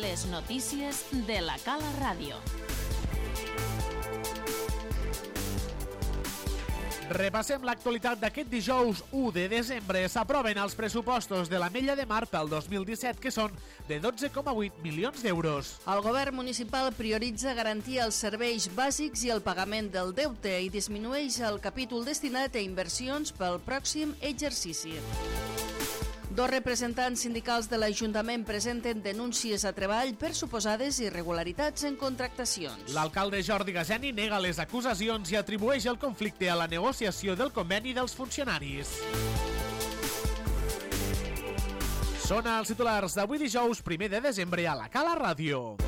Les notícies de la Cala Ràdio. Repassem l'actualitat d'aquest dijous 1 de desembre. S'aproven els pressupostos de l'Ametlla de Mar pel 2017, que són de 12,8 milions d'euros. El govern municipal prioritza garantir els serveis bàsics i el pagament del deute i disminueix el capítol destinat a inversions pel pròxim exercici. Dos representants sindicals de l'Ajuntament presenten denúncies a Treball per suposades irregularitats en contractacions. L'alcalde Jordi Gaseni nega les acusacions i atribueix el conflicte a la negociació del conveni dels funcionaris. Són els titulars d'avui dijous 1 de desembre a la Cala Ràdio.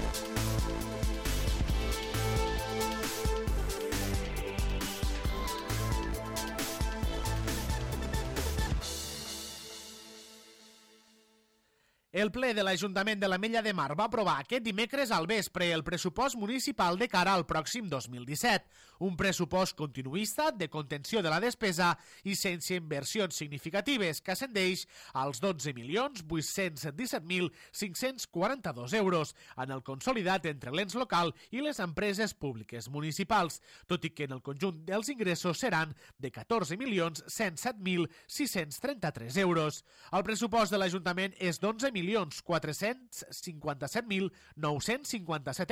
El ple de l'Ajuntament de l'Ametlla de Mar va aprovar aquest dimecres al vespre el pressupost municipal de cara al pròxim 2017. Un pressupost continuista de contenció de la despesa i sense inversions significatives que ascendeix als 12.817.542 euros en el consolidat entre l'ens local i les empreses públiques municipals, tot i que en el conjunt dels ingressos seran de 14.107.633 euros. El pressupost de l'Ajuntament és d'11.457.957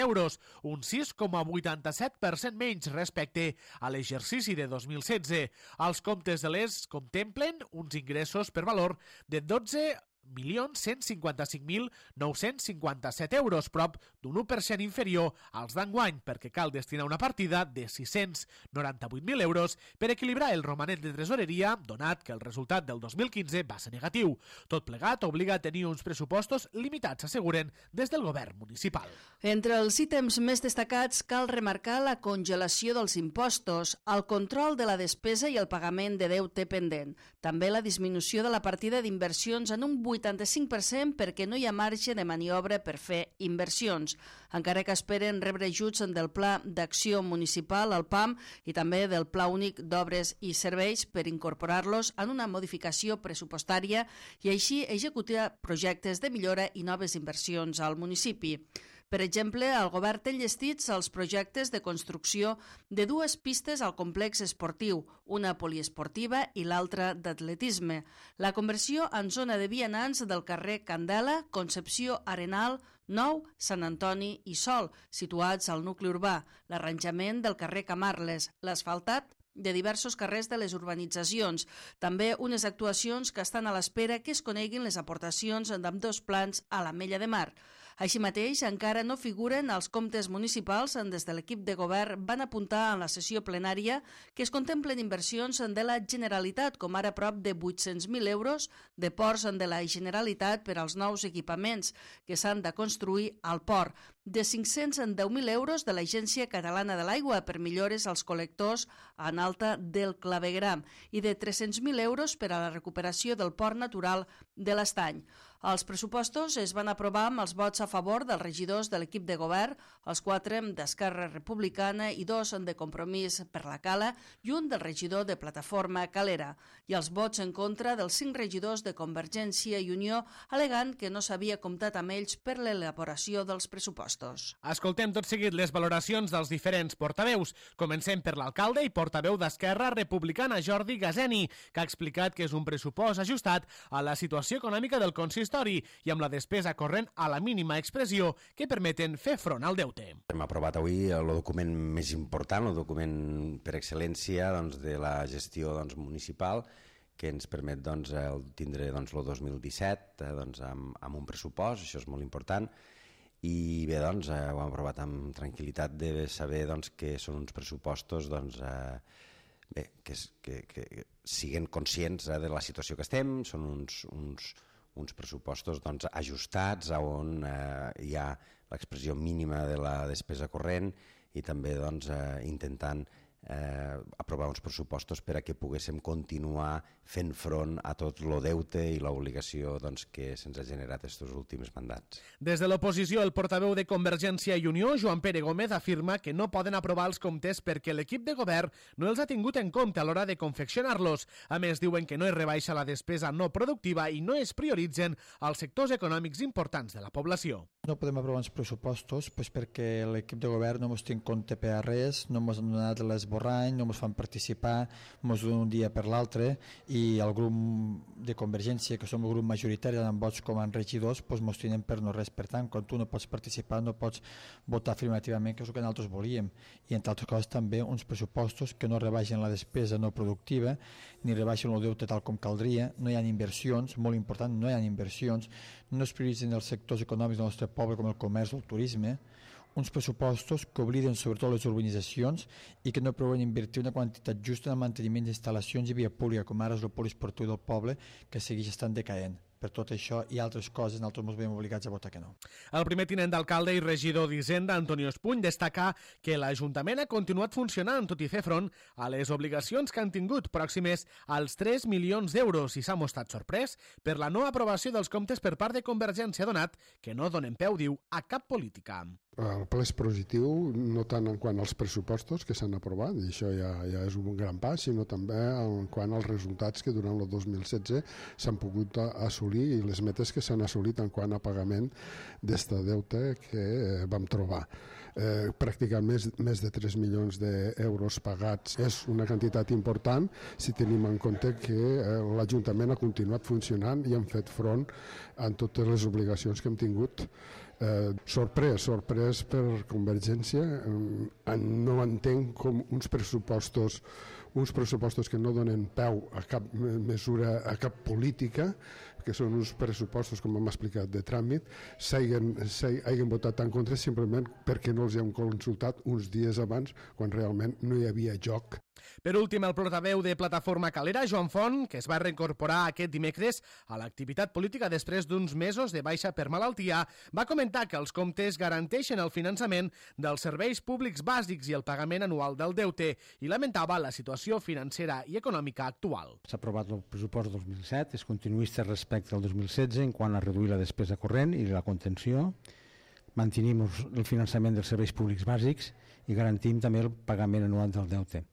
euros, un 6,87% menys respecte a l'exercici de 2016. Els comptes de l'ES contemplen uns ingressos per valor de 12.155.957 euros, prop d'un 1% inferior als d'enguany, perquè cal destinar una partida de 698.000 euros per equilibrar el romanent de tresoreria, donat que el resultat del 2015 va ser negatiu. Tot plegat obliga a tenir uns pressupostos limitats, asseguren des del govern municipal. Entre els ítems més destacats cal remarcar la congelació dels impostos, el control de la despesa i el pagament de deute pendent. També la disminució de la partida d'inversions en un 85% perquè no hi ha marge de maniobra per fer inversions, encara que esperen rebre ajuts del Pla d'Acció Municipal, el PAM, i també del Pla Únic d'Obres i Serveis per incorporar-los en una modificació pressupostària i així executar projectes de millora i noves inversions al municipi. Per exemple, el govern té enllestits els projectes de construcció de dues pistes al complex esportiu, una poliesportiva i l'altra d'atletisme, la conversió en zona de vianants del carrer Candela, Concepció Arenal, Nou, Sant Antoni i Sol, situats al nucli urbà, l'arranjament del carrer Camarles, l'asfaltat de diversos carrers de les urbanitzacions, també unes actuacions que estan a l'espera que es coneguin les aportacions d'ambdós plans a l'Ametlla de Mar. Així mateix, encara no figuren els comptes municipals. Des de l'equip de govern van apuntar en la sessió plenària que es contemplen inversions de la Generalitat, com ara prop de 800.000 euros de ports de la Generalitat per als nous equipaments que s'han de construir al port, de 510.000 euros de l'Agència Catalana de l'Aigua per millores als col·lectors en alta del clavegram i de 300.000 euros per a la recuperació del port natural de l'Estany. Els pressupostos es van aprovar amb els vots a favor dels regidors de l'equip de govern, els 4 d'Esquerra Republicana i 2 de Compromís per la Cala i un del regidor de Plataforma Calera, i els vots en contra dels 5 regidors de Convergència i Unió, alegant que no s'havia comptat amb ells per l'elaboració dels pressupostos. Escoltem tot seguit les valoracions dels diferents portaveus. Comencem per l'alcalde i portaveu d'Esquerra Republicana, Jordi Gaseni, que ha explicat que és un pressupost ajustat a la situació econòmica del consistori i amb la despesa corrent a la mínima expressió que permeten fer front al deute. Hem aprovat avui el document més important, el document per excel·lència de la gestió municipal, que ens permet tindre el 2017 amb un pressupost, això és molt important, i bé, ho hem aprovat amb tranquil·litat de saber que són uns pressupostos que siguen conscients de la situació que estem, són uns pressupostos ajustats on hi ha l'expressió mínima de la despesa corrent i també intentant aprovar uns pressupostos per a que poguéssim continuar fent front a tot el deute i l'obligació que se'ns ha generat aquests últims mandats. Des de l'oposició, el portaveu de Convergència i Unió, Joan Pere Gómez, afirma que no poden aprovar els comptes perquè l'equip de govern no els ha tingut en compte a l'hora de confeccionar-los. A més, diuen que no es rebaixa la despesa no productiva i no es prioritzen els sectors econòmics importants de la població. No podem aprovar uns pressupostos perquè l'equip de govern no ens té en compte per a res, no ens han donat l'esborrany, no ens fan participar, ens donen un dia per l'altre i el grup de Convergència, que som el grup majoritari amb vots com a regidors, ens tenen per no res. Per tant, quan tu no pots participar, no pots votar afirmativament, que és el que nosaltres volíem. I entre altres coses també uns pressupostos que no rebaixen la despesa no productiva, ni rebaixen el deute tal com caldria, no hi ha inversions, molt important, no hi ha inversions, no es prioritzen els sectors econòmics del nostre poble com el comerç o el turisme, uns pressupostos que obliden sobretot les urbanitzacions i que no preveuen invertir una quantitat justa en el manteniment d'instal·lacions i via pública, com ara és el poliesportiu del poble, que segueix estant decaent. Per tot això i altres coses, nosaltres ens veiem obligats a votar que no. El primer tinent d'alcalde i regidor d'Hisenda, Antonio Espuny, destaca que l'Ajuntament ha continuat funcionant, tot i fer front a les obligacions que han tingut pròximes als 3 milions d'euros i s'ha mostrat sorprès per la no aprovació dels comptes per part de Convergència, donat que no donen peu, diu, a cap política. El ple és positiu, no tant en quant als pressupostos que s'han aprovat, i això ja és un gran pas, sinó també en quant als resultats que durant el 2016 s'han pogut assolir i les metes que s'han assolit en quant a pagament d'este deute que vam trobar. Pràcticament més de 3 milions d'euros pagats és una quantitat important si tenim en compte que l'Ajuntament ha continuat funcionant i han fet front a totes les obligacions que hem tingut. Sorprès per Convergència, no entenc com uns pressupostos que no donen peu a cap mesura, a cap política, que són uns pressupostos, com hem explicat, de tràmit, s'hagin votat en contra simplement perquè no els hem consultat uns dies abans, quan realment no hi havia joc. Per últim, el portaveu de Plataforma Calera, Joan Font, que es va reincorporar aquest dimecres a l'activitat política després d'uns mesos de baixa per malaltia, va comentar que els comptes garanteixen el finançament dels serveis públics bàsics i el pagament anual del deute i lamentava la situació financera i econòmica actual. S'ha aprovat el pressupost 2007, és continuista respecte al 2016 en quant a reduir la despesa corrent i la contenció, mantenim el finançament dels serveis públics bàsics i garantim també el pagament anual del deute.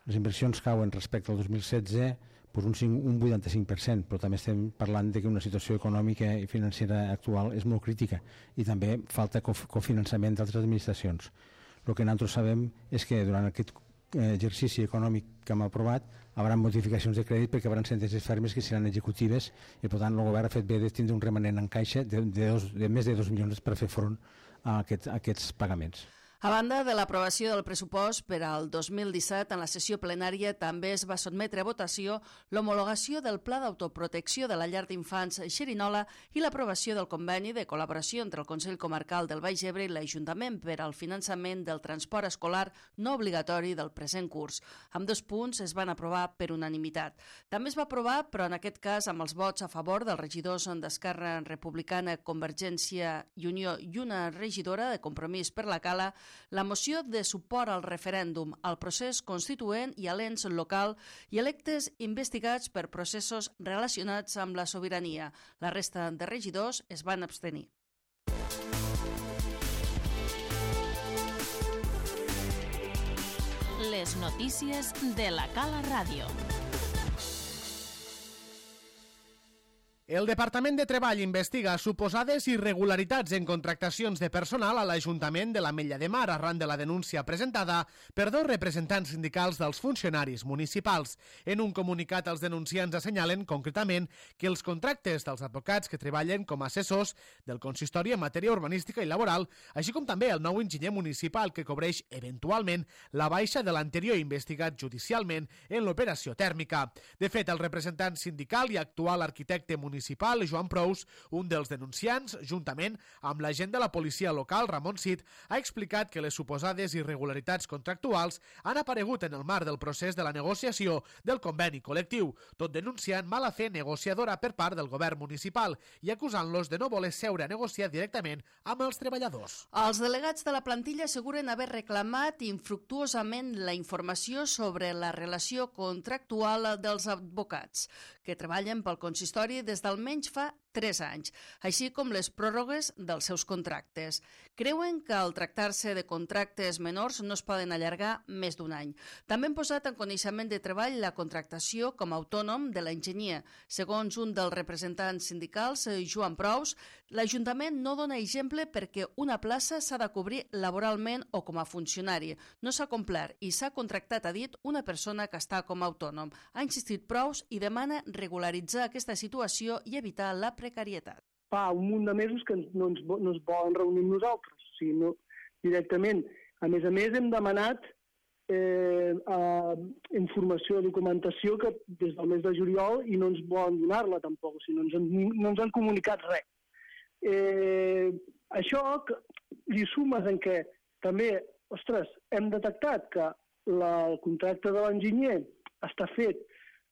Les inversions cauen respecte al 2016 per un 85%, però també estem parlant de que una situació econòmica i financera actual és molt crítica i també falta cofinançament d'altres administracions. El que nosaltres sabem és que durant aquest exercici econòmic que hem aprovat hi haurà modificacions de crèdit perquè hi haurà sentències fermes que seran executives i per tant el govern ha fet bé de tindre un remanent en caixa de més de 2 milions per fer front a aquests pagaments. A banda de l'aprovació del pressupost per al 2017, en la sessió plenària també es va sotmetre a votació l'homologació del Pla d'Autoprotecció de la Llar d'Infants Xerinola i l'aprovació del conveni de col·laboració entre el Consell Comarcal del Baix Ebre i l'Ajuntament per al finançament del transport escolar no obligatori del present curs. Ambdós punts es van aprovar per unanimitat. També es va aprovar, però en aquest cas amb els vots a favor dels regidors d'Esquerra Republicana, Convergència i Unió i una regidora de Compromís per la Cala, la moció de suport al referèndum, al procés constituent i a l'ens local i electes investigats per processos relacionats amb la sobirania. La resta de regidors es van abstenir. Les notícies de la Cala Ràdio. El Departament de Treball investiga suposades irregularitats en contractacions de personal a l'Ajuntament de l'Ametlla de Mar arran de la denúncia presentada per 2 representants sindicals dels funcionaris municipals. En un comunicat, els denunciants assenyalen concretament que els contractes dels advocats que treballen com a assessors del consistori en matèria urbanística i laboral, així com també el nou enginyer municipal que cobreix eventualment la baixa de l'anterior investigat judicialment en l'operació tèrmica. De fet, el representant sindical i actual arquitecte municipal municipal, Joan Prous, un dels denunciants, juntament amb l'agent de la policia local, Ramon Cid, ha explicat que les suposades irregularitats contractuals han aparegut en el marc del procés de la negociació del conveni col·lectiu, tot denunciant mala fe negociadora per part del govern municipal i acusant-los de no voler seure a negociar directament amb els treballadors. Els delegats de la plantilla asseguren haver reclamat infructuosament la informació sobre la relació contractual dels advocats, que treballen pel consistori des d'almenys fa 3 anys, així com les pròrrogues dels seus contractes. Creuen que al tractar-se de contractes menors no es poden allargar més d'un any. També han posat en coneixement de treball la contractació com a autònom de l'enginyer. Segons un dels representants sindicals, Joan Prous, l'Ajuntament no dona exemple perquè una plaça s'ha de cobrir laboralment o com a funcionari. No s'ha complert i s'ha contractat, ha dit, una persona que està com a autònom. Ha insistit Prous i demana regularitzar aquesta situació i evitar la precarietat. Fa un munt de mesos que no es volen reunir amb nosaltres, o sigui, no, directament. A més, hem demanat informació, documentació que des del mes de juliol i no ens volen donar-la tampoc, o sigui, no ens han comunicat res. Això li sumes en què també, hem detectat que el contracte de l'enginyer està fet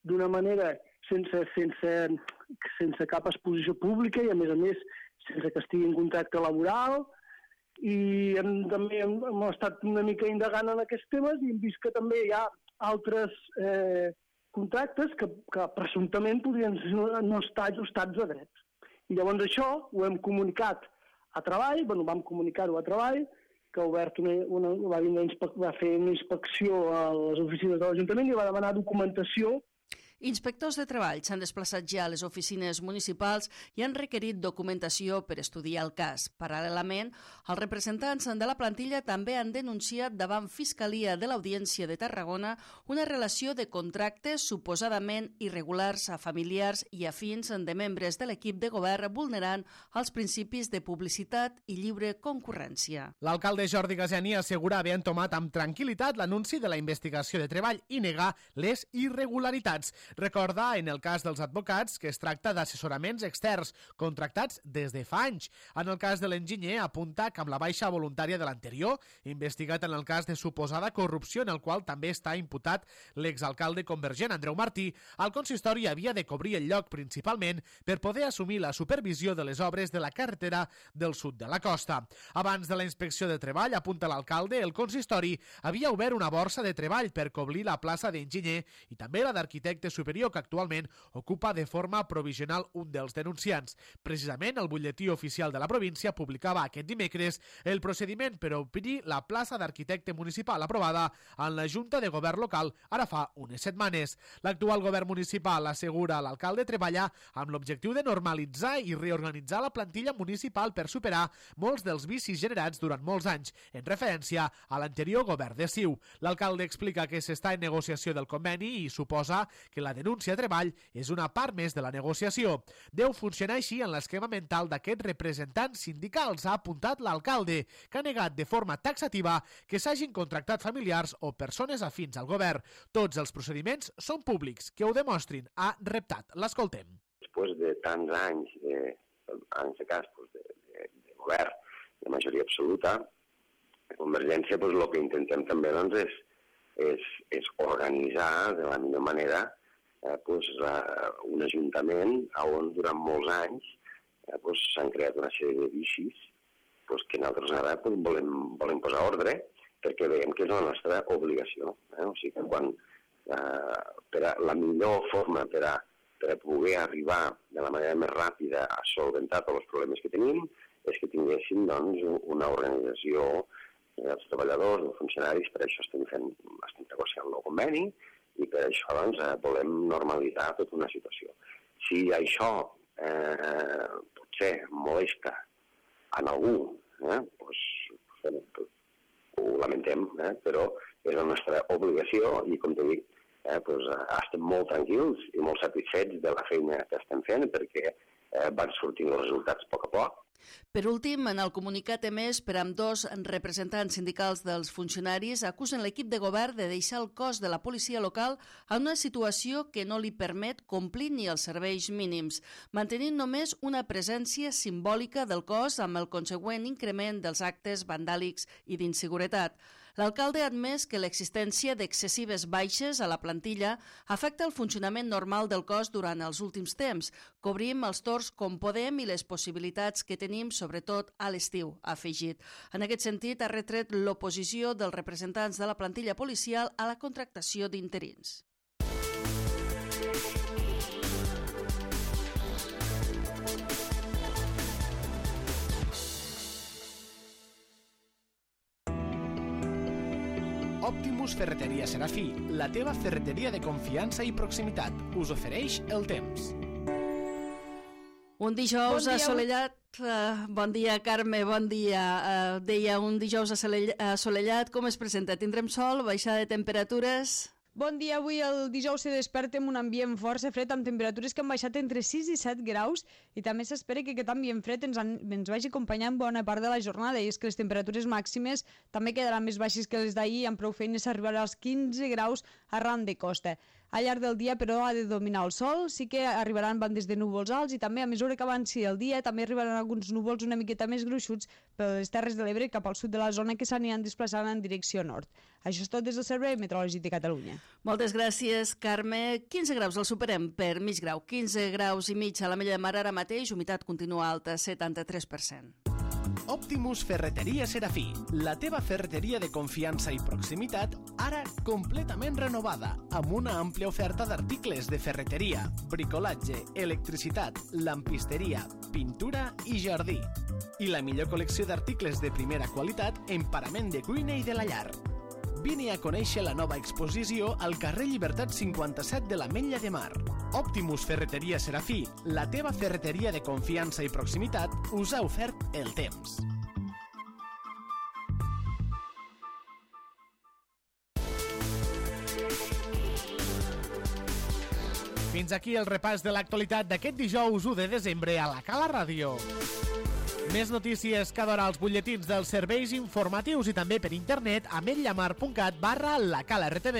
d'una manera sense cap exposició pública i, a més, sense que estigui en contracte laboral. I també hem estat una mica indagant en aquests temes i hem vist que també hi ha altres contractes que presumptament podrien no estar ajustats a drets. I llavors això ho hem comunicat a Treball, vam comunicar-ho a Treball, que ha obert va fer una inspecció a les oficines de l'Ajuntament i va demanar documentació. Inspectors de treball s'han desplaçat ja a les oficines municipals i han requerit documentació per estudiar el cas. Paral·lelament, els representants de la plantilla també han denunciat davant Fiscalia de l'Audiència de Tarragona una relació de contractes suposadament irregulars a familiars i afins de membres de l'equip de govern vulnerant els principis de publicitat i lliure concurrència. L'alcalde Jordi Gasiani assegura haver entomat amb tranquil·litat l'anunci de la investigació de treball i negar les irregularitats. Recorda, en el cas dels advocats, que es tracta d'assessoraments externs contractats des de fa anys. En el cas de l'enginyer, apunta que amb la baixa voluntària de l'anterior, investigat en el cas de suposada corrupció en el qual també està imputat l'exalcalde convergent Andreu Martí, el consistori havia de cobrir el lloc principalment per poder assumir la supervisió de les obres de la carretera del sud de la costa. Abans de la inspecció de treball, apunta l'alcalde, el consistori havia obert una borsa de treball per cobrir la plaça d'enginyer i també la d'arquitecte superior que actualment ocupa de forma provisional un dels denunciants. Precisament, el butlletí oficial de la província publicava aquest dimecres el procediment per obrir la plaça d'arquitecte municipal aprovada en la Junta de Govern local ara fa unes setmanes. L'actual govern municipal, assegura l'alcalde, treballa amb l'objectiu de normalitzar i reorganitzar la plantilla municipal per superar molts dels vicis generats durant molts anys, en referència a l'anterior govern de CiU. L'alcalde explica que s'està en negociació del conveni i suposa que la denúncia de treball és una part més de la negociació. Deu funcionar així en l'esquema mental d'aquests representants sindicals, ha apuntat l'alcalde, que ha negat de forma taxativa que s'hagin contractat familiars o persones afins al govern. Tots els procediments són públics, que ho demostrin, ha reptat. L'escoltem. Després de tants anys, en aquest cas de govern, de majoria absoluta, de Convergència, el que intentem també és organitzar de la millor manera un ajuntament on durant molts anys s'han creat una sèrie de vicis que nosaltres ara volem posar ordre perquè veiem que és la nostra obligació. O sigui que la millor forma per a poder arribar de la manera més ràpida a solventar tots els problemes que tenim és que tinguéssim una organització dels treballadors, dels funcionaris. Per això estem negociant el nou conveni i per això volem normalitzar tota una situació. Si això potser molesta en algú, ho lamentem, però és la nostra obligació i, com t'he dit, estem molt tranquils i molt satisfets de la feina que estem fent perquè van sortint els resultats a poc a poc. Per últim, en el comunicat emès per ambdós representants sindicals dels funcionaris acusen l'equip de govern de deixar el cos de la policia local en una situació que no li permet complir ni els serveis mínims, mantenint només una presència simbòlica del cos amb el consegüent increment dels actes vandàlics i d'inseguretat. L'alcalde ha admès que l'existència d'excessives baixes a la plantilla afecta el funcionament normal del cos durant els últims temps. Cobrim els torns com podem i les possibilitats que tenim, sobretot a l'estiu, ha afegit. En aquest sentit, ha retret l'oposició dels representants de la plantilla policial a la contractació d'interins. Optimus Ferreteria Serafí, la teva ferreteria de confiança i proximitat, us ofereix el temps. Un dijous assolellat. Bon dia, Carme, bon dia. Deia, un dijous assolellat, com es presenta? Tindrem sol, baixada de temperatures? Bon dia, avui el dijous se desperta amb un ambient força fred amb temperatures que han baixat entre 6 i 7 graus i també s'espera que aquest ambient fred ens vagi acompanyant bona part de la jornada i és que les temperatures màximes també quedaran més baixes que les d'ahir amb prou feines arribarà als 15 graus arran de costa. Al llarg del dia, però, ha de dominar el sol, sí que arribaran bandes de núvols alts i també a mesura que avanci el dia també arribaran alguns núvols una miqueta més gruixuts per les Terres de l'Ebre cap al sud de la zona que s'aniran desplaçant en direcció nord. Això és tot des del Servei Meteorològic de Catalunya. Moltes gràcies, Carme. 15 graus el superem per mig grau. 15 graus i mig a la Mella de Mar ara mateix, humitat continua alta, 73%. Optimus Ferreteria Serafí, la teva ferreteria de confiança i proximitat, ara completament renovada, amb una àmplia oferta d'articles de ferreteria, bricolatge, electricitat, lampisteria, pintura i jardí. I la millor col·lecció d'articles de primera qualitat en parament de cuina i de la llar. Vine a conèixer la nova exposició al carrer Llibertat 57 de l'Ametlla de Mar. Optimus Ferreteria Serafí, la teva ferreteria de confiança i proximitat, us ha ofert el temps. Fins aquí el repàs de l'actualitat d'aquest dijous 1 de desembre a la Cala Ràdio. Més notícies cada hora als butlletins dels serveis informatius i també per internet a ametllamar.cat/lacalartv.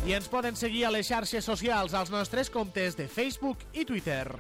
I ens poden seguir a les xarxes socials als nostres comptes de Facebook i Twitter.